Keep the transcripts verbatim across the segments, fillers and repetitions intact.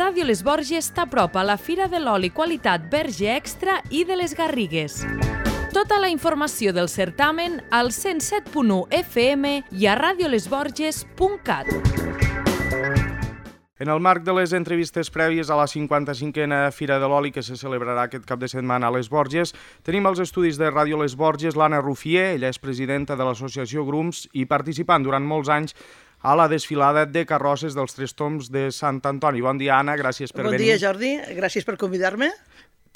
Ràdio Les Borges t'apropa a la Fira de l'Oli Qualitat Verge Extra i de les Garrigues. Tota la informació del certamen al cent set punt u F M i a radiolesborges punt cat. En el marc de les entrevistes prèvies a la cinquanta-cinquena Fira de l'Oli que se celebrarà aquest cap de setmana a Les Borges, tenim als estudis de Ràdio Les Borges l'Anna Rufier, ella és presidenta de l'associació Grums i participant durant molts anys a la desfilada de carrosses dels Tres Tombs de Sant Antoni. Bon dia, Anna, gràcies per venir. venir. Bon dia, Jordi, gràcies per convidar-me.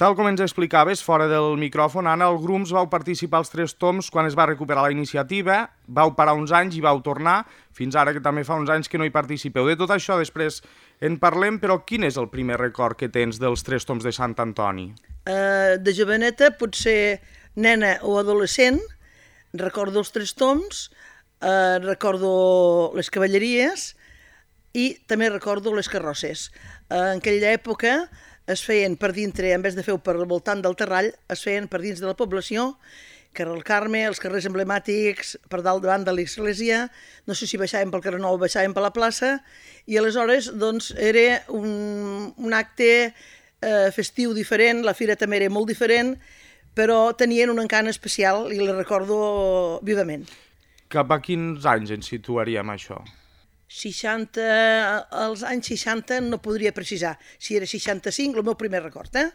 Tal com ens explicaves, fora del micròfon, Anna, el Grums vau participar als Tres Tombs quan es va recuperar la iniciativa, vau parar uns anys i vau tornar, fins ara que també fa uns anys que no hi participeu. De tot això després en parlem, però quin és el primer record que tens dels Tres Tombs de Sant Antoni? Uh, de joveneta, potser nena o adolescent, recordo els Tres Tombs, uh, recordo les cavalleries i també recordo les carrosses. Uh, en aquella època es feien per dintre, en vez de fer per al voltant del terrall, es feien per dins de la població, carrer el Carme, els carrers emblemàtics, per dalt davant de l'església, no sé si baixàvem pel carrer Nou o baixàvem per la plaça, i aleshores doncs, era un, un acte eh, festiu diferent, la fira també era molt diferent, però tenien un encant especial i la recordo vivament. Cap a quins anys ens situaríem això? seixanta, als anys seixanta no podria precisar, si era seixanta-cinc, el meu primer record, eh?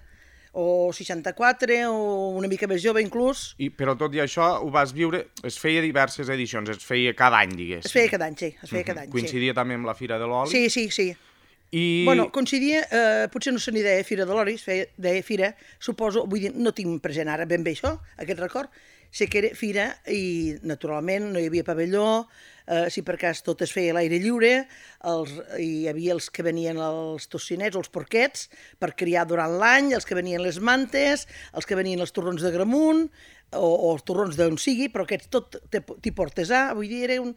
O seixanta-quatre, o una mica més jove inclús. I, però tot i això ho vas viure, es feia diverses edicions, es feia cada any, diguéssim. Es feia cada any, sí, es feia cada any, sí. Coincidia també amb la Fira de l'Oli? Sí, sí, sí. I... Bueno, coincidia, eh, potser no se n'hi deia Fira de l'Oli, es feia, deia Fira, suposo, vull dir, no tinc present ara ben bé això, aquest record, sé que era Fira i, naturalment, no hi havia pavelló, eh, si per cas tot es feia a l'aire lliure, els, hi havia els que venien els tocinets, els porquets, per criar durant l'any, els que venien les mantes, els que venien els torrons de Gramunt, o, o els torrons d'on sigui, però aquests tot tipus artesà, vull dir, era un,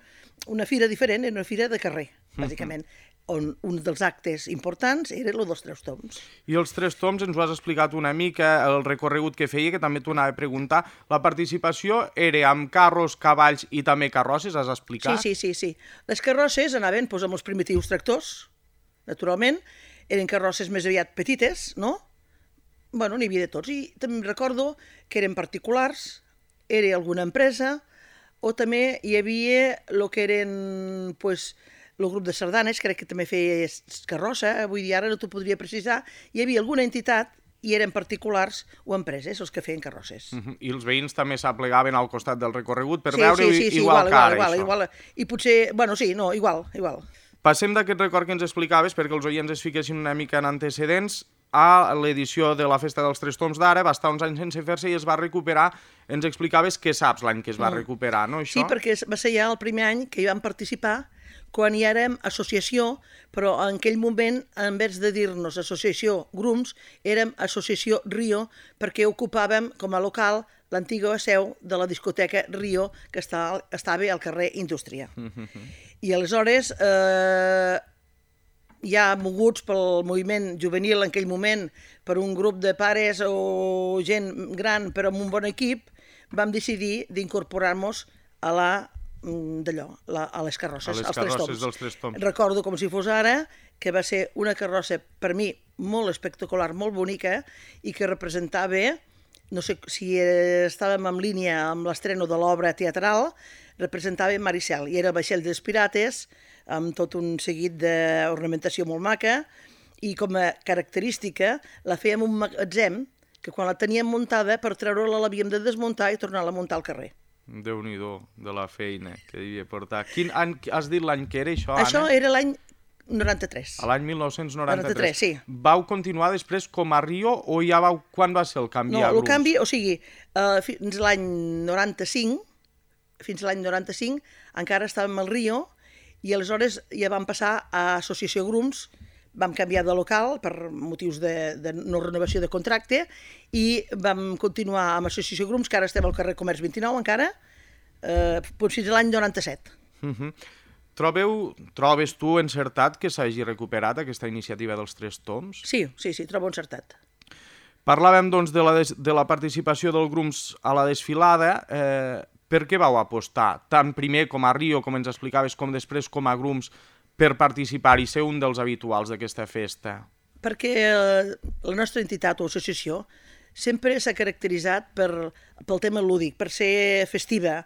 una fira diferent, era una fira de carrer, bàsicament. On un dels actes importants era el dels Tres Tombs. I els Tres Tombs ens ho has explicat una mica, el recorregut que feia, que també t'ho anava a preguntar. La participació era amb carros, cavalls i també carrosses, has explicat? Sí, sí, sí, sí. Les carrosses anaven doncs, amb els primitius tractors, naturalment, eren carrosses més aviat petites, no? Bueno, n'hi havia de tots. I també recordo que eren particulars, era alguna empresa, o també hi havia el que eren, doncs, el grup de sardanes, crec que també feia carrossa, vull dir, ara no t'ho podria precisar, hi havia alguna entitat i eren particulars o empreses els que feien carrosses. Uh -huh. I els veïns també s'aplegaven al costat del recorregut per sí, veure sí, sí, sí, igual, igual que ara, igual, això. Igual, i potser, bueno, sí, no, igual, igual. Passem d'aquest record que ens explicaves, perquè els oients es fiquessin una mica en antecedents, a l'edició de la Festa dels Tres Tombs d'ara, va estar uns anys sense fer-se i es va recuperar. Ens explicaves què saps l'any que es va mm. recuperar, no, això? Sí, perquè va ser ja el primer any que hi vam participar, quan hi érem associació, però en aquell moment, en vez de dir-nos associació Grums, érem associació Rio, perquè ocupàvem com a local l'antiga seu de la discoteca Rio, que està, estava al carrer Indústria. I aleshores, eh, ja moguts pel moviment juvenil en aquell moment, per un grup de pares o gent gran, però amb un bon equip, vam decidir d'incorporar-nos a la d'allò, a les carrosses, a les als carrosses Tres dels Tres Tombs. Recordo com si fos ara que va ser una carrossa per mi molt espectacular, molt bonica i que representava, no sé si estàvem en línia amb l'estreno de l'obra teatral, representava Maricel i era el vaixell dels pirates amb tot un seguit d'ornamentació molt maca i com a característica la fèiem un magatzem que quan la teníem muntada per treure-la l'havíem de desmuntar i tornar-la a muntar al carrer. Déu-n'hi-do de la feina que devia portar. Quin any has dit l'any que era això, Anna? Això era l'any noranta-tres. A l'any mil nou-cents noranta-tres. noranta-tres, sí. Vau continuar després com a Rio o ja vau... Quan va ser el canvi no, a Grums? No, el canvi, o sigui, uh, fins l'any noranta-cinc, fins l'any noranta-cinc, encara estàvem al Rio i aleshores ja vam passar a Associació Grums, vam canviar de local per motius de, de no renovació de contracte i vam continuar amb Associació Grums, que ara estem al carrer Comerç vint-i-nou encara, eh, fins a l'any noranta-set. Uh -huh. Trobeu, trobes tu encertat que s'hagi recuperat aquesta iniciativa dels Tres Tombs? Sí, sí, sí, trobo encertat. Parlàvem doncs de la, des, de la participació del Grums a la desfilada. Eh, per què vau apostar, tant primer com a Rio, com ens explicaves, com després com a Grums, per participar i ser un dels habituals d'aquesta festa? perquè la nostra entitat o associació sempre s'ha caracteritzat per, pel tema lúdic, per ser festiva,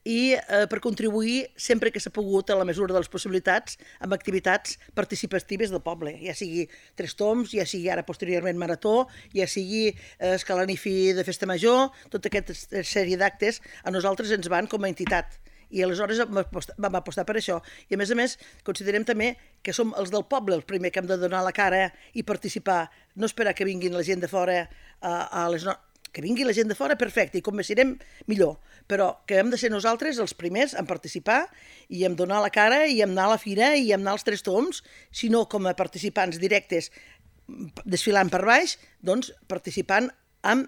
i eh, per contribuir sempre que s'ha pogut a la mesura de les possibilitats amb activitats participatives del poble, ja sigui Tres Tombs, ja sigui ara posteriorment Marató, ja sigui eh, Escalanifi de Festa Major, tota aquesta sèrie d'actes a nosaltres ens van com a entitat. I aleshores vam apostar per això. I a més a més considerem també que som els del poble els primers que hem de donar la cara i participar, no esperar que vinguin la gent de fora a, a les no... que vingui la gent de fora, perfecte, i com més serem, millor. Però que hem de ser nosaltres els primers en participar i en donar la cara i en anar a la fira i en anar als Tres Tombs, sinó com a participants directes desfilant per baix, doncs participant en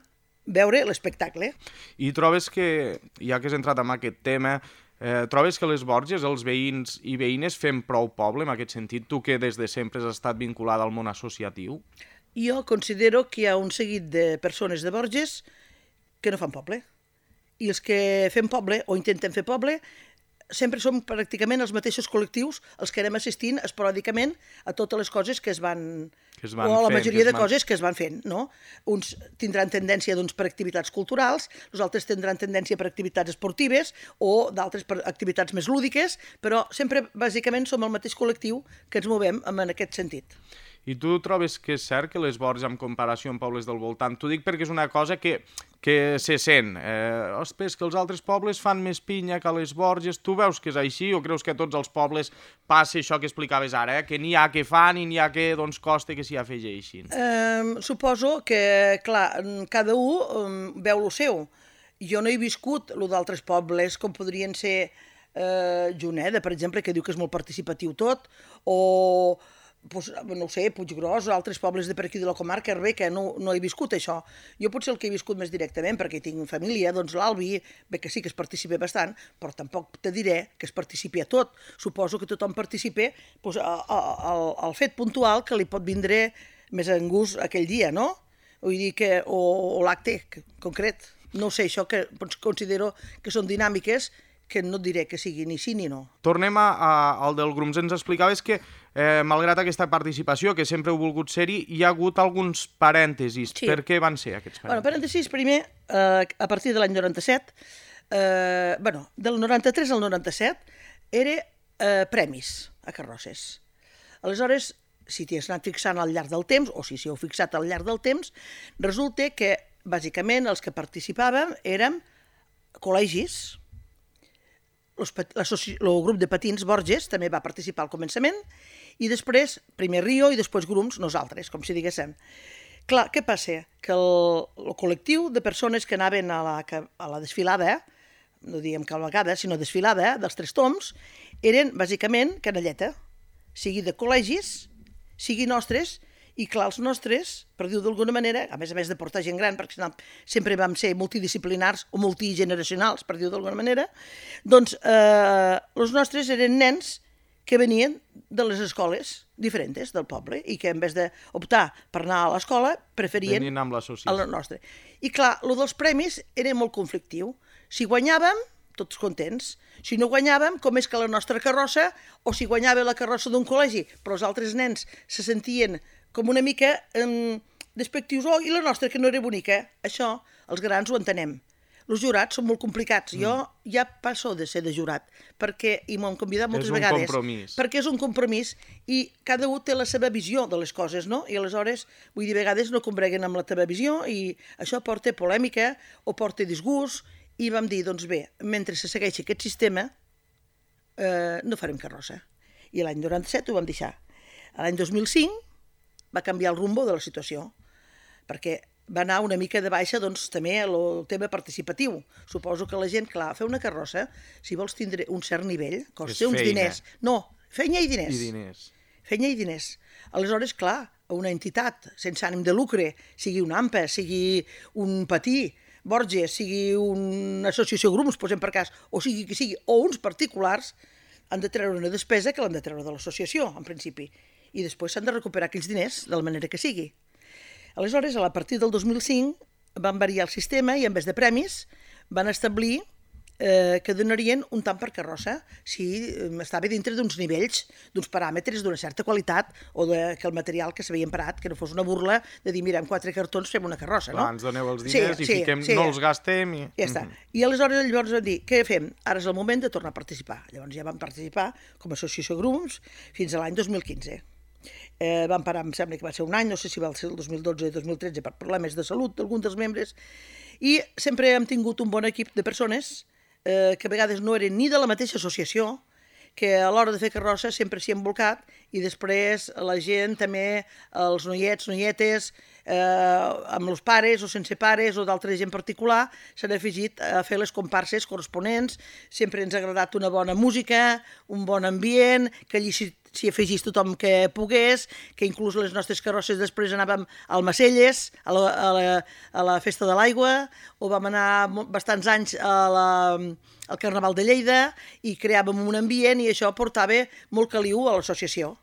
veure l'espectacle. I trobes que, ja que has entrat en aquest tema, eh, trobes que les Borges, els veïns i veïnes, fem prou poble en aquest sentit? Tu que des de sempre has estat vinculada al món associatiu? Jo considero que hi ha un seguit de persones de Borges que no fan poble. I els que fem poble, o intentem fer poble, sempre som pràcticament els mateixos col·lectius els que anem assistint esporàdicament a totes les coses que es van... Que es van o a la fent, majoria de van... coses que es van fent, no? Uns tindran tendència doncs, per activitats culturals, els altres tindran tendència per activitats esportives o d'altres per activitats més lúdiques, però sempre, bàsicament, som el mateix col·lectiu que ens movem en aquest sentit. I tu trobes que és cert que les Borges, en comparació amb pobles del voltant, t'ho dic perquè és una cosa que, que se sent. Eh, ostres, que els altres pobles fan més pinya que a les Borges. Tu veus que és així o creus que a tots els pobles passa això que explicaves ara, eh? Que n'hi ha que fan i n'hi ha que doncs, costa que s'hi afegeixin? Eh, suposo que, clar, cada un um, veu lo seu. Jo no he viscut lo d'altres pobles, com podrien ser eh, Juneda, per exemple, que diu que és molt participatiu tot, o... Pues, no ho sé, Puiggròs o altres pobles de per aquí de la comarca, bé, que no, no he viscut això. Jo potser el que he viscut més directament, perquè tinc família, doncs l'Albi, bé que sí que es participa bastant, però tampoc te diré que es participi a tot. Suposo que tothom participa pues, a, a, a, al fet puntual que li pot vindre més en gust aquell dia, no? Vull dir que, o, o l'acte concret. No sé, això que considero que són dinàmiques que no et diré que sigui ni sí ni no. Tornem a, a, al del Grums. Ens explicaves que, eh, malgrat aquesta participació, que sempre heu volgut ser-hi, hi ha hagut alguns parèntesis. Sí. Per què van ser aquests parèntesis? Bueno, parèntesis, primer, eh, a partir de l'any noranta-set, eh, bueno, del noranta-tres al noranta-set, era eh, premis a carrosses. Aleshores, si t'hi has anat fixant al llarg del temps, o si s'hi heu fixat al llarg del temps, resulta que, bàsicament, els que participàvem érem col·legis. El grup de patins Borges també va participar al començament i després, primer Rio i després Grums, nosaltres, com si diguéssim. Clar, què passa? Que el, el col·lectiu de persones que anaven a la, a la desfilada, no diguem cavalgada, sinó desfilada dels Tres Tombs, eren bàsicament canalleta, sigui de col·legis, sigui nostres, i clar, els nostres, per dir-ho d'alguna manera, a més a més de portar gent gran, perquè sempre vam ser multidisciplinars o multigeneracionals, per dir-ho d'alguna manera, doncs eh, els nostres eren nens que venien de les escoles diferents del poble i que en vez d'optar per anar a l'escola preferien venien amb l'associació. A la nostra. I clar, el dels premis era molt conflictiu. Si guanyàvem, tots contents. Si no guanyàvem, com és que la nostra carrossa, o si guanyava la carrossa d'un col·legi, però els altres nens se sentien com una mica eh, despectius, oh, i la nostra que no era bonica. Això, els grans ho entenem. Els jurats són molt complicats. Mm. Jo ja passo de ser de jurat, perquè, i m'ho han convidat moltes vegades. És un compromís. Perquè és un compromís i cada un té la seva visió de les coses, no? I aleshores, vull dir, a vegades no combreguen amb la teva visió i això porta polèmica o porta disgust i vam dir, doncs bé, mentre se segueixi aquest sistema, eh, no farem carrossa. I l'any noranta-set ho vam deixar. L'any dos mil cinc va canviar el rumbo de la situació, perquè va anar una mica de baixa doncs, també el tema participatiu. Suposo que la gent, clar, fer una carrossa, si vols tindre un cert nivell, costa uns diners. No, feina i diners. I diners. Feina i diners. Aleshores, clar, una entitat sense ànim de lucre, sigui un AMPA, sigui un patí, Borges, sigui una associació Grums, posem per cas, o sigui que sigui, o uns particulars, han de treure una despesa que l'han de treure de l'associació, en principi. I després s'han de recuperar aquells diners de la manera que sigui. Aleshores, a partir del dos mil cinc, van variar el sistema i en vez de premis van establir eh, que donarien un tant per carrossa si estava dintre d'uns nivells, d'uns paràmetres d'una certa qualitat o de, que el material que s'havia emparat, que no fos una burla de dir, mira, amb quatre cartons fem una carrossa, no? Clar, ens doneu els diners sí, i sí, fiquem, sí. no els gastem i... Ja està. I aleshores llavors vam dir, què fem? Ara és el moment de tornar a participar. Llavors ja vam participar com a associació Grums fins a l'any dos mil quinze. Eh, vam parar, em sembla que va ser un any, no sé si va ser el dos mil dotze o dos mil tretze per problemes de salut d'algun dels membres, i sempre hem tingut un bon equip de persones eh, que a vegades no eren ni de la mateixa associació, que a l'hora de fer carrossa sempre s'hi han volcat i després la gent també, els noiets, noietes, eh, amb els pares o sense pares o d'altra gent particular, s'han afegit a fer les comparses corresponents. Sempre ens ha agradat una bona música, un bon ambient, que allí s'hi s'hi afegís tothom que pogués, que inclús les nostres carrosses després anàvem al Macelles, a la, a la, a la Festa de l'Aigua, o vam anar bastants anys a la, al Carnaval de Lleida i creàvem un ambient i això portava molt caliu a l'associació.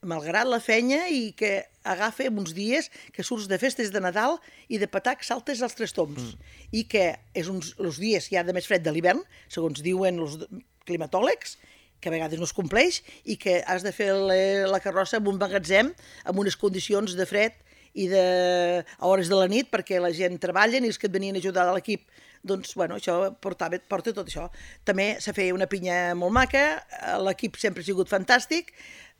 Malgrat la feina i que agafa uns dies que surts de festes de Nadal i de patac saltes als tres tombs. Mm. I que és uns, els dies ja de més fred de l'hivern, segons diuen els climatòlegs, que a vegades no es compleix i que has de fer la carrossa en un magatzem amb unes condicions de fred i de, a hores de la nit perquè la gent treballen i els que et venien a ajudar a l'equip, doncs, bueno, això portava, porta tot això. També se feia una pinya molt maca, l'equip sempre ha sigut fantàstic,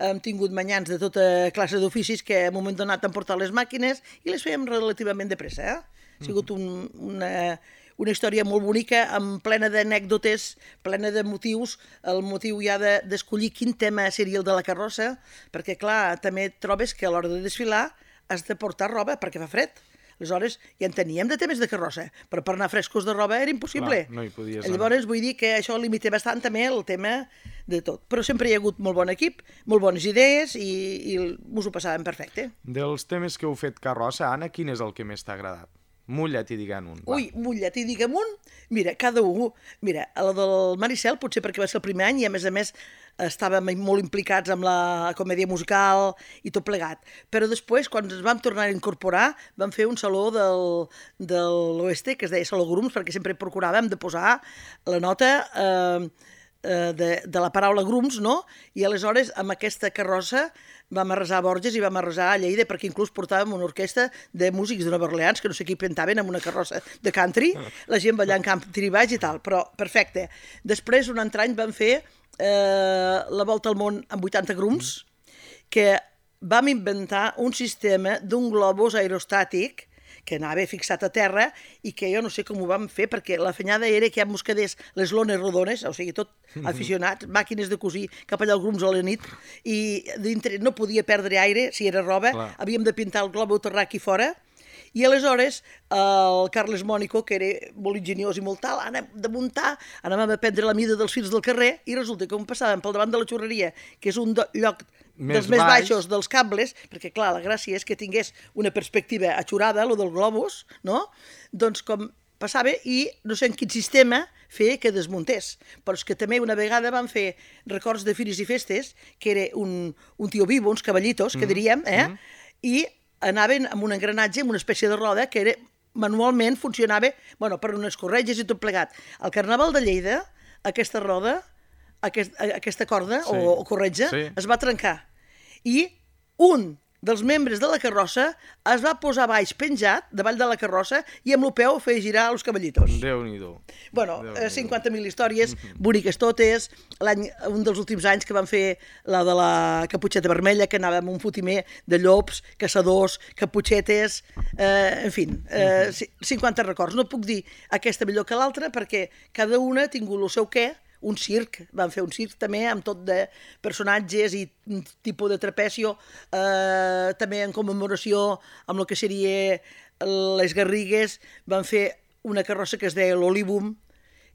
hem tingut manyans de tota classe d'oficis que en un moment donat han portat les màquines i les fèiem relativament de pressa, eh? Ha sigut un, una... una història molt bonica, amb plena d'anècdotes, plena de motius, el motiu ja d'escollir quin tema seria el de la carrossa, perquè, clar, també trobes que a l'hora de desfilar has de portar roba perquè fa fred. Aleshores, ja en teníem de temes de carrossa, però per anar frescos de roba era impossible. Clar, no hi podies anar. Llavors, vull dir que això limita bastant també el tema de tot. Però sempre hi ha hagut molt bon equip, molt bones idees i, i mos ho passàvem perfecte. Dels temes que heu fet carrossa, Anna, quin és el que més t'ha agradat? Mulla't i digue'n un. Va. Ui, mulla't i digue'm un. Mira, cada un. Mira, la del Maricel potser perquè va ser el primer any i a més a més estàvem molt implicats amb la comèdia musical i tot plegat. Però després, quan ens vam tornar a incorporar, vam fer un saló del, de l'Oeste, que es deia Saló Grums, perquè sempre procuràvem de posar la nota eh, de, de la paraula Grums, no? I aleshores, amb aquesta carrossa, vam arrasar a Borges i vam arrasar a Lleida, perquè inclús portàvem una orquestra de músics de Nova Orleans, que no sé qui pintaven amb una carrossa de country, la gent ballant country baix i tal, però perfecte. Després, un altre any, vam fer eh, la volta al món amb vuitanta grums, que vam inventar un sistema d'un globus aerostàtic que anava fixat a terra i que jo no sé com ho vam fer, perquè la fenyada era que ja mos quedés les lones rodones, o sigui, tot aficionats, màquines de cosir cap allà al Grums a la nit, i dintre no podia perdre aire, si era roba, clar. Havíem de pintar el globo terrà aquí fora, i aleshores el Carles Mònico, que era molt ingeniós i molt tal, anàvem de muntar, anàvem a prendre la mida dels fils del carrer, i resulta que com passàvem pel davant de la xurreria, que és un lloc més dels més baix. baixos dels cables, perquè clar, la gràcia és que tingués una perspectiva atxurada, lo del globus, no? Doncs com passava i no sé en quin sistema fer que desmuntés. Però és que també una vegada van fer records de fires i festes, que era un, un tio vivo, uns cavallitos, que diríem, eh? Mm. I anaven amb un engranatge, amb una espècie de roda, que era, manualment funcionava, bueno, per unes corretges i tot plegat. Al Carnaval de Lleida, aquesta roda, aquest, aquesta corda sí. o, o corretja, sí. es va trencar. I un dels membres de la carrossa es va posar baix penjat davall de la carrossa i amb el peu feia girar els cavallitos. Déu-n'hi-do. Bueno, cinquanta mil històries, boniques totes. L'any, un dels últims anys que vam fer la de la Caputxeta Vermella, que anàvem un fotimer de llops, caçadors, caputxetes, eh, en fi, eh, cinquanta records. No puc dir aquesta millor que l'altra perquè cada una ha tingut el seu què. Un circ, vam fer un circ també amb tot de personatges i un tipus de trapecio, eh, també en commemoració amb el que seria les Garrigues, vam fer una carrossa que es deia l'Olivum,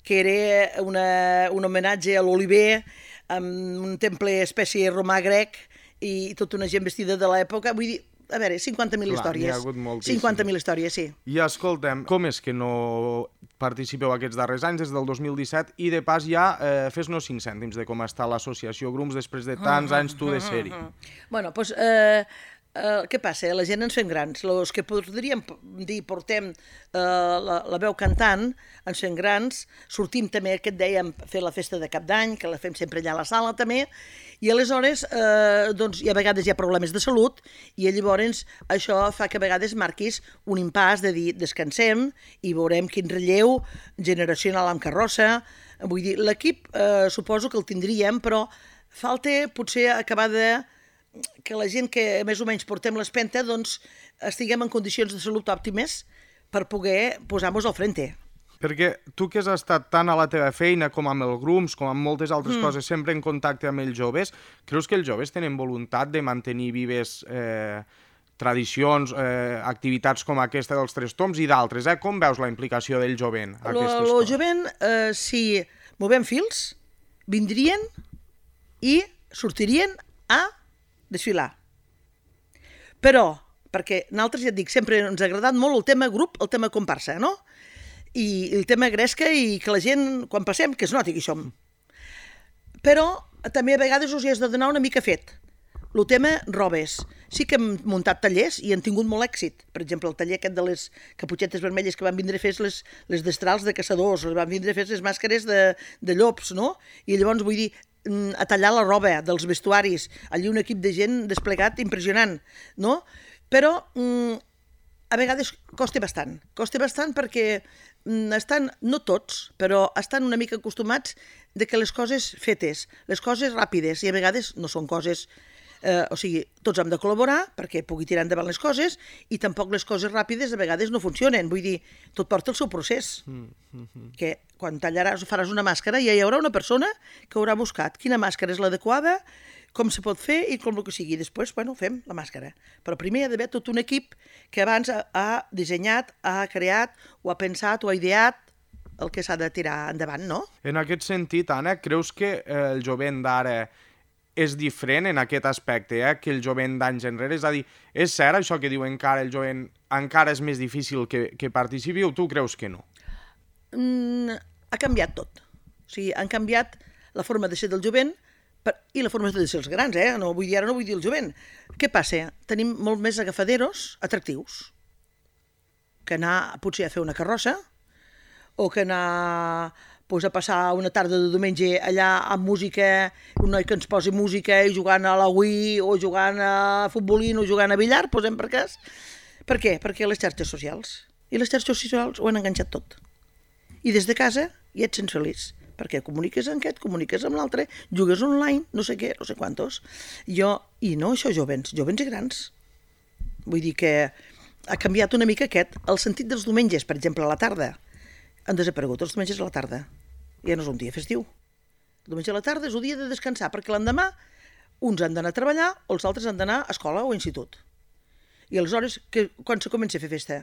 que era una, un homenatge a l'oliver, amb un temple espècie romà grec i tota una gent vestida de l'època, vull dir, a veure, cinquanta mil històries. Hi ha hagut moltíssim. cinquanta mil històries, sí. I escolta'm, com és que no participeu aquests darrers anys, des del dos mil disset, i de pas ja eh, fes-nos cinc cèntims de com està l'associació Grums després de tants anys tu de ser-hi. Bueno, doncs, eh, Uh, què passa? La gent ens fem grans. Els que podríem dir portem uh, la, la veu cantant, ens fem grans, sortim també, que et dèiem, fer la festa de cap d'any, que la fem sempre allà a la sala també, i aleshores uh, doncs, hi ha vegades hi ha problemes de salut i llavors això fa que a vegades marquis un impàs de dir descansem i veurem quin relleu generacional amb carrossa. Vull dir, l'equip uh, suposo que el tindríem, però falta potser acabar de que la gent que més o menys portem l'espenta doncs estiguem en condicions de salut òptimes per poder posar-nos al frente. Perquè tu que has estat tant a la teva feina com amb el Grums, com amb moltes altres mm. coses, sempre en contacte amb els joves, creus que els joves tenen voluntat de mantenir vives eh, tradicions, eh, activitats com aquesta dels Tres Tombs i d'altres? Eh? Com veus la implicació del jovent a aquestes coses? El jovent, eh, si movem fils, vindrien i sortirien a desfilar. Però, perquè nosaltres, ja et dic, sempre ens ha agradat molt el tema grup, el tema comparsa, no? I el tema gresca i que la gent, quan passem, que es noti que hi som. Però també a vegades us hi has de donar una mica fet. El tema robes. Sí que hem muntat tallers i han tingut molt èxit. Per exemple, el taller aquest de les caputxetes vermelles que van vindre a fer les, les destrals de caçadors, van vindre a fer les màscares de, de llops, no? I llavors, vull dir, a tallar la roba dels vestuaris, allí un equip de gent desplegat impressionant, no? Però mm, a vegades costa bastant, costa bastant perquè mm, estan, no tots, però estan una mica acostumats de que les coses fetes, les coses ràpides, i a vegades no són coses, eh, o sigui, tots hem de col·laborar perquè pugui tirar endavant les coses i tampoc les coses ràpides a vegades no funcionen, vull dir, tot porta el seu procés, mm, mm, mm. que quan tallaràs, faràs una màscara, ja hi haurà una persona que haurà buscat quina màscara és l'adequada, com se pot fer i com el que sigui. Després, bueno, fem la màscara. Però primer hi ha d'haver tot un equip que abans ha, ha dissenyat, ha creat, o ha pensat, o ha ideat el que s'ha de tirar endavant, no? En aquest sentit, Anna, creus que eh, el jovent d'ara és diferent en aquest aspecte, eh, que el jovent d'anys enrere? És a dir, és cert això que diuen que ara el jovent encara és més difícil que, que participi, o tu creus que no? Mm, ha canviat tot. O sigui, han canviat la forma de ser del jovent per, i la forma de ser els grans, eh? No vull dir, ara no vull dir el jovent. Què passa? Tenim molt més agafaderos atractius que anar potser a fer una carrossa o que anar pues, a passar una tarda de diumenge allà amb música, un noi que ens posi música i jugant a la Wii o jugant a futbolín o jugant a billar, posem per cas. Per què? Perquè les xarxes socials. I les xarxes socials ho han enganxat tot. I des de casa ja et sents feliç, perquè comuniques amb aquest, comuniques amb l'altre, jugues online, no sé què, no sé quantos. Jo, i no això jovens, jovens i grans. Vull dir que ha canviat una mica aquest, el sentit dels diumenges, per exemple, a la tarda. Han desaparegut els diumenges a la tarda. Ja no és un dia festiu. El diumenge a la tarda és un dia de descansar, perquè l'endemà uns han d'anar a treballar o els altres han d'anar a escola o a institut. I aleshores, que, quan se comença a fer festa?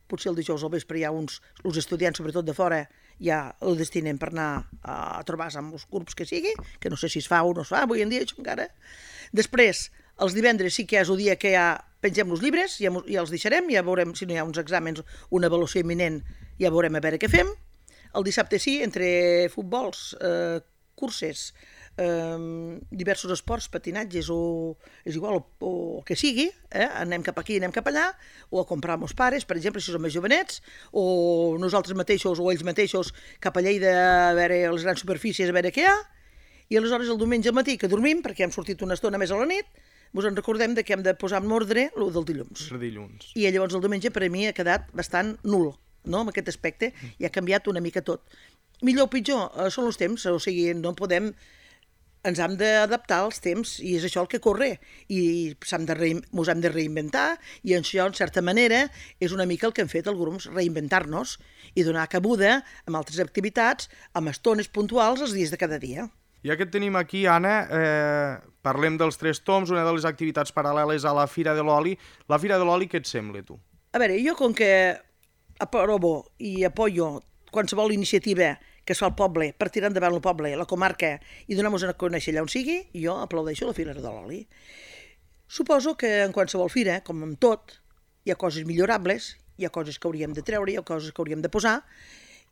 Potser el dijous al vespre hi ha uns, els estudiants, sobretot de fora, ja el destinen per anar a trobar-se amb els grups que sigui, que no sé si es fa o no es fa, avui en dia això encara. Després, els divendres sí que és el dia que ja pengem els llibres, ja, ja els deixarem, ja veurem si no hi ha uns exàmens, una avaluació imminent, ja veurem a veure què fem. El dissabte sí, entre futbols, eh, curses, eh, diversos esports, patinatges o és igual, o, o el que sigui, eh? Anem cap aquí, anem cap allà, o a comprar amb els pares, per exemple, si som més jovenets, o nosaltres mateixos o ells mateixos cap a Lleida a veure les grans superfícies, a veure què hi ha, i aleshores el diumenge al matí que dormim, perquè hem sortit una estona més a la nit, ens en recordem de que hem de posar en ordre el del dilluns. El dilluns. I llavors el diumenge per a mi ha quedat bastant nul, no?, en aquest aspecte, i ha canviat una mica tot. Millor o pitjor, eh, són els temps, o sigui, no podem... ens hem d'adaptar als temps i és això el que corre i s'hem de rein... ens hem de reinventar i això, en certa manera, és una mica el que hem fet el grup, reinventar-nos i donar cabuda amb altres activitats, amb estones puntuals els dies de cada dia. Ja que et tenim aquí, Anna, eh, parlem dels Tres Tombs, una de les activitats paral·leles a la Fira de l'Oli. La Fira de l'Oli, què et sembla, tu? A veure, jo com que aprovo i apoyo qualsevol iniciativa que es fa al poble, per tirar endavant el poble, la comarca, i donar-nos a conèixer allà on sigui, jo aplaudeixo la Fira de l'Oli. Suposo que en qualsevol fira, com en tot, hi ha coses millorables, hi ha coses que hauríem de treure, hi ha coses que hauríem de posar,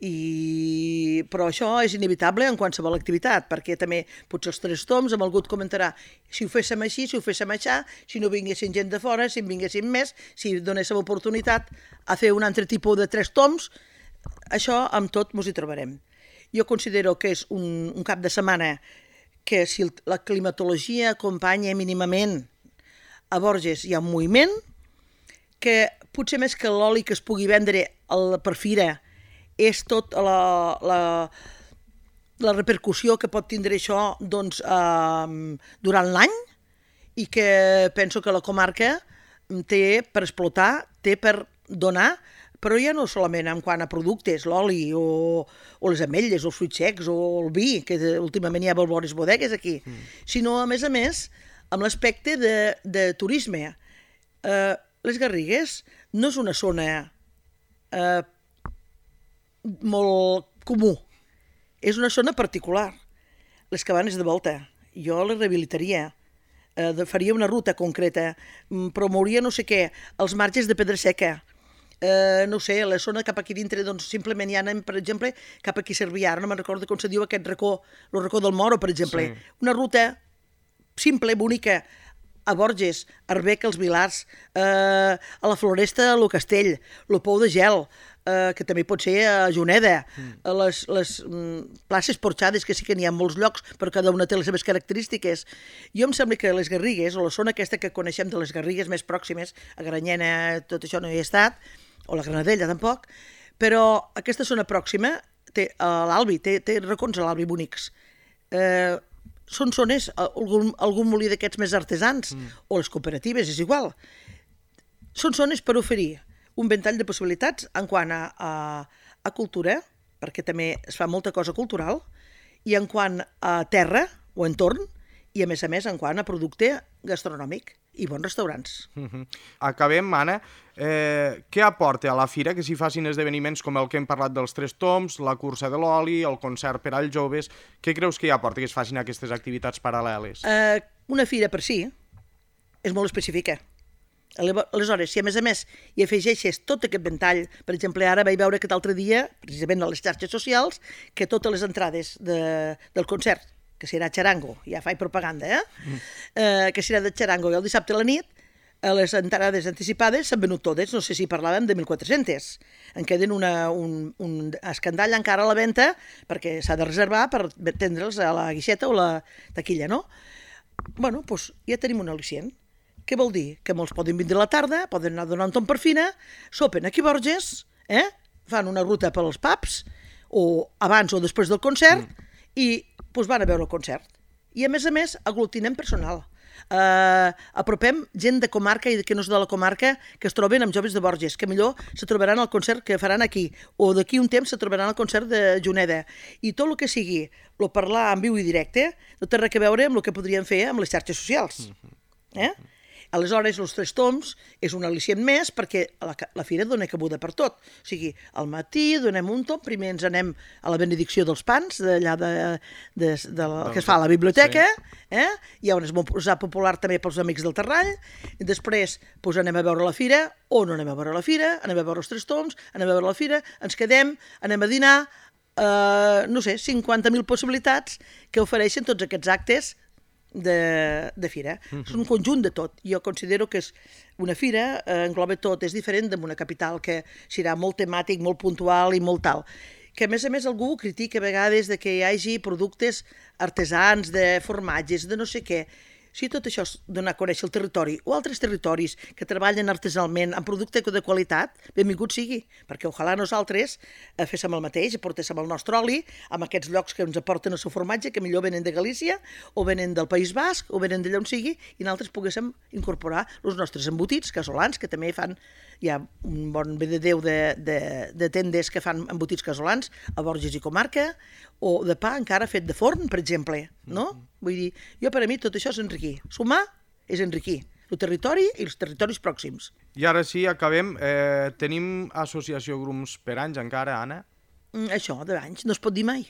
I... però això és inevitable en qualsevol activitat, perquè també potser els tres toms, amb algú et comentarà si ho féssim així, si ho féssim així, si no vinguessin gent de fora, si en vinguessin més, si donéssim oportunitat a fer un altre tipus de tres toms, això amb tot mos hi trobarem. Jo considero que és un, un cap de setmana que si la climatologia acompanya mínimament a Borges hi ha un moviment, que potser més que l'oli que es pugui vendre per fira és tot la, la, la repercussió que pot tindre això doncs, eh, durant l'any, i que penso que la comarca té per explotar, té per donar, però ja no solament en quant a productes, l'oli o, o les ametlles, o els fruits secs, o el vi, que últimament hi ha bones bodegues aquí, mm. sinó, a més a més, amb l'aspecte de, de turisme. Eh, les Garrigues no és una zona eh, molt comú, és una zona particular. Les cabanes de volta, jo les rehabilitaria, eh, faria una ruta concreta, promouria no sé què, els marges de Pedra Seca, eh, no sé, la zona cap aquí dintre, doncs simplement hi anem, per exemple, cap aquí a Cervià, no me'n recordo com se diu aquest racó, el racó del Moro, per exemple, sí. Una ruta simple, bonica, a Borges, a Arbeca, als Vilars, eh, a la Floresta, a lo Castell, lo Pou de Gel, eh, que també pot ser a Juneda, mm. a les, les mm, places porxades, que sí que n'hi ha molts llocs, però cada una té les seves característiques. Jo em sembla que les Garrigues, o la zona aquesta que coneixem de les Garrigues més pròximes, a Granyena, tot això no hi he estat, o la Granadella tampoc, però aquesta zona pròxima, té, a l'Albi, té, té racons a l'Albi bonics. Eh, són zones, algun, algun molí d'aquests més artesans, mm. o les cooperatives, és igual. Són zones per oferir un ventall de possibilitats en quant a, a, a cultura, perquè també es fa molta cosa cultural, i en quant a terra o entorn, i a més a més en quant a producte gastronòmic i bons restaurants. Mm-hmm. Acabem, Anna. Eh, què aporta a la fira que s'hi facin esdeveniments com el que hem parlat dels tres toms, la cursa de l'oli, el concert per als joves? Què creus que hi aporta que es facin aquestes activitats paral·leles? Eh, una fira per si és molt específica. Aleshores, si a més a més hi afegeixes tot aquest ventall, per exemple, ara vaig veure aquest altre dia, precisament a les xarxes socials, que totes les entrades de, del concert, que serà Charango, ja faig propaganda, eh? Mm. eh que serà de Charango i el dissabte a la nit, a les entrades anticipades s'han venut totes, no sé si parlàvem de mil quatre-cents. En queden una, un, un escandall encara a la venda, perquè s'ha de reservar per tendre'ls a la guixeta o la taquilla, no? Bueno, doncs ja tenim un al·licient. Què vol dir? Que molts poden vindre a la tarda, poden anar a donar un tom per fina, sopen aquí a Borges, eh? Fan una ruta pels pubs, o abans o després del concert, mm. i doncs van a veure el concert. I a més a més aglutinem personal. Uh, apropem gent de comarca i que no és de la comarca que es troben amb joves de Borges, que millor se trobaran al concert que faran aquí, o d'aquí un temps se trobaran al concert de Juneda. I tot el que sigui, el parlar en viu i directe, no té res a veure amb el que podríem fer amb les xarxes socials. Eh? Aleshores, els tres toms és un al·licient més perquè la, la fira dona cabuda per tot. O sigui, al matí donem un tom, primer ens anem a la benedicció dels pans, d'allà de, de, de la, que es fa a la biblioteca, sí. eh? Hi ha un esmorzar popular també pels amics del Terrall, i després pues, anem a veure la fira, o no anem a veure la fira, anem a veure els tres toms, anem a veure la fira, ens quedem, anem a dinar, eh, no sé, cinquanta mil possibilitats que ofereixen tots aquests actes de, de fira. Mm-hmm. És un conjunt de tot. Jo considero que és una fira, eh, engloba tot, és diferent d'una capital que serà molt temàtic, molt puntual i molt tal. Que a més a més algú critica a vegades de que hi hagi productes artesans, de formatges, de no sé què. Si tot això és donar a conèixer el territori o altres territoris que treballen artesanalment amb producte de qualitat, benvingut sigui, perquè ojalà nosaltres eh, féssim el mateix, portéssim el nostre oli amb aquests llocs que ens aporten el seu formatge, que millor venen de Galícia o venen del País Basc o venen d'allà on sigui, i nosaltres poguéssim incorporar els nostres embotits casolans, que també fan, hi ha un bon bé de Déu de, de, de tendes que fan embotits casolans a Borges i comarca, o de pa encara fet de forn, per exemple, no? Vull dir, jo per a mi tot això és enriquir. Sumar és enriquir el territori i els territoris pròxims. I ara sí, acabem. Eh, tenim associació Grums per anys encara, Anna? Mm, això, d'anys, no es pot dir mai.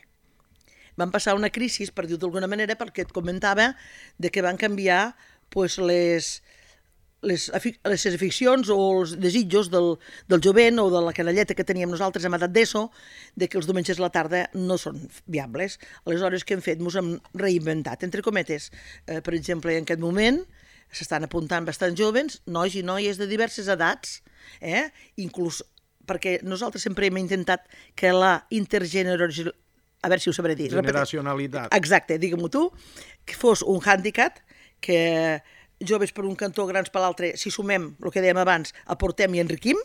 Van passar una crisi, per dir-ho d'alguna manera, perquè et comentava de que van canviar pues, les, les, les aficions o els desitjos del, del jovent o de la canalleta que teníem nosaltres en edat d'ESO, de que els diumenges a la tarda no són viables. Aleshores, què hem fet? Ens hem reinventat, entre cometes. Eh, per exemple, en aquest moment s'estan apuntant bastants jovens, nois i noies de diverses edats, eh? Inclús perquè nosaltres sempre hem intentat que la intergeneracionalitat, a veure si ho sabré dir. Generacionalitat. Exacte, digue-m'ho tu, que fos un hàndicap, que joves per un cantó, grans per l'altre, si sumem el que dèiem abans, aportem i enriquim,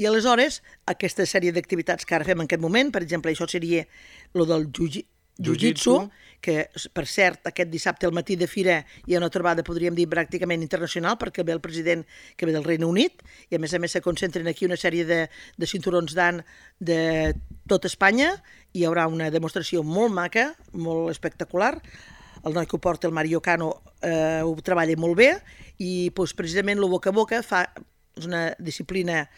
i aleshores aquesta sèrie d'activitats que ara fem en aquest moment, per exemple, això seria el del jiu-jitsu, que per cert aquest dissabte al matí de fira hi ha una trobada, podríem dir, pràcticament internacional, perquè ve el president que ve del Regne Unit, i a més a més se concentren aquí una sèrie de, de cinturons d'an de tot Espanya. Hi haurà una demostració molt maca, molt espectacular. El noi que ho porta, el Mario Cano, eh, ho treballa molt bé, i doncs, precisament el boca a boca fa una disciplina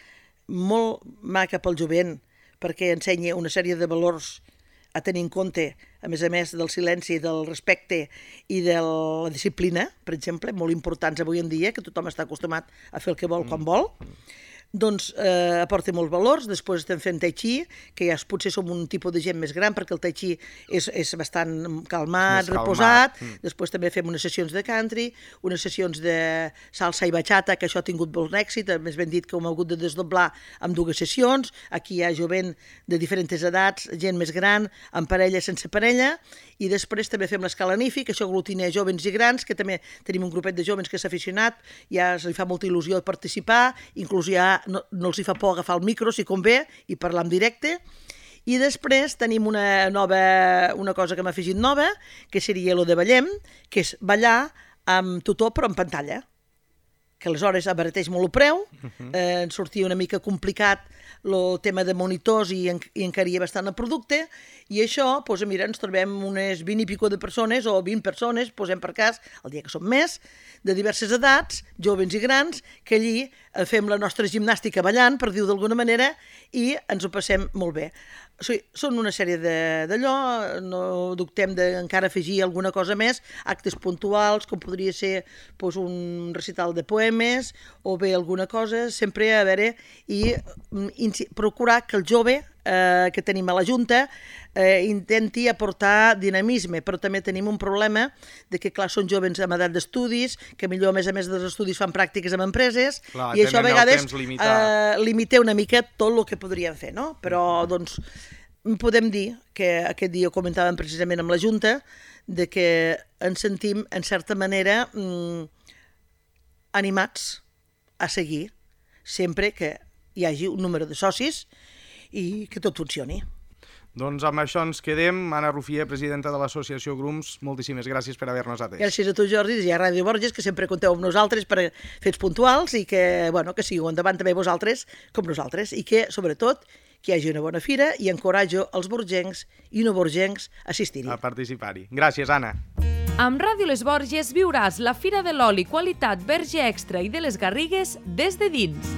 molt maca pel jovent, perquè ensenya una sèrie de valors a tenir en compte, a més a més del silenci, del respecte i de la disciplina, per exemple, molt importants avui en dia, que tothom està acostumat a fer el que vol quan vol. Doncs eh, aporta molts valors. Després estem fent tai chi, que ja potser som un tipus de gent més gran, perquè el tai chi és, és bastant calmat, reposat. Mm. Després també fem unes sessions de country, unes sessions de salsa i bachata, que això ha tingut molt èxit, més ben dit que ho hem hagut de desdoblar amb dues sessions. Aquí hi ha jovent de diferents edats, gent més gran, amb parella, sense parella, i després també fem l'escala N I F I, que això aglutina jovens i grans, que també tenim un grupet de jovens que s'ha aficionat, ja se li fa molta il·lusió participar, inclús ja no, no els hi fa por agafar el micro, si convé, i parlar en directe. I després tenim una, nova, una cosa que m'ha afegit nova, que seria el de ballem, que és ballar amb tutor però en pantalla, que aleshores abarateix molt el preu, eh, ens sortia una mica complicat el tema de monitors i, en, i encaria bastant el producte, i això, doncs, mira, ens trobem unes vint i pico de persones, o vint persones, posem per cas, el dia que som més, de diverses edats, joves i grans, que allí fem la nostra gimnàstica ballant, per dir-ho d'alguna manera, i ens ho passem molt bé. O sigui, són una sèrie d'allò, no dubtem d'encara afegir alguna cosa més, actes puntuals, com podria ser doncs, un recital de poemes, o bé alguna cosa, sempre a veure, i procurar que el jove eh, que tenim a la Junta eh, intenti aportar dinamisme, però també tenim un problema de que, clar, són jovens amb edat d'estudis, que millor, a més a més dels estudis, fan pràctiques amb empreses, clar, i això a vegades eh, limita una mica tot el que podríem fer, no? Però, doncs, podem dir que aquest dia ho comentàvem precisament amb la Junta, de que ens sentim, en certa manera, mmm, animats a seguir, sempre que hi hagi un número de socis i que tot funcioni. Doncs amb això ens quedem. Anna Rufié, presidenta de l'associació Grums, moltíssimes gràcies per haver-nos atès. Gràcies a tu, Jordi, i a Ràdio Borges, que sempre compteu amb nosaltres per fets puntuals i que, bueno, que sigueu endavant també vosaltres com nosaltres, i que, sobretot, que hi hagi una bona fira, i encoratjo els borgencs i no borgencs a assistir-hi. A participar-hi. Gràcies, Anna. Amb Ràdio Les Borges viuràs la Fira de l'Oli Qualitat Verge Extra i de les Garrigues des de dins.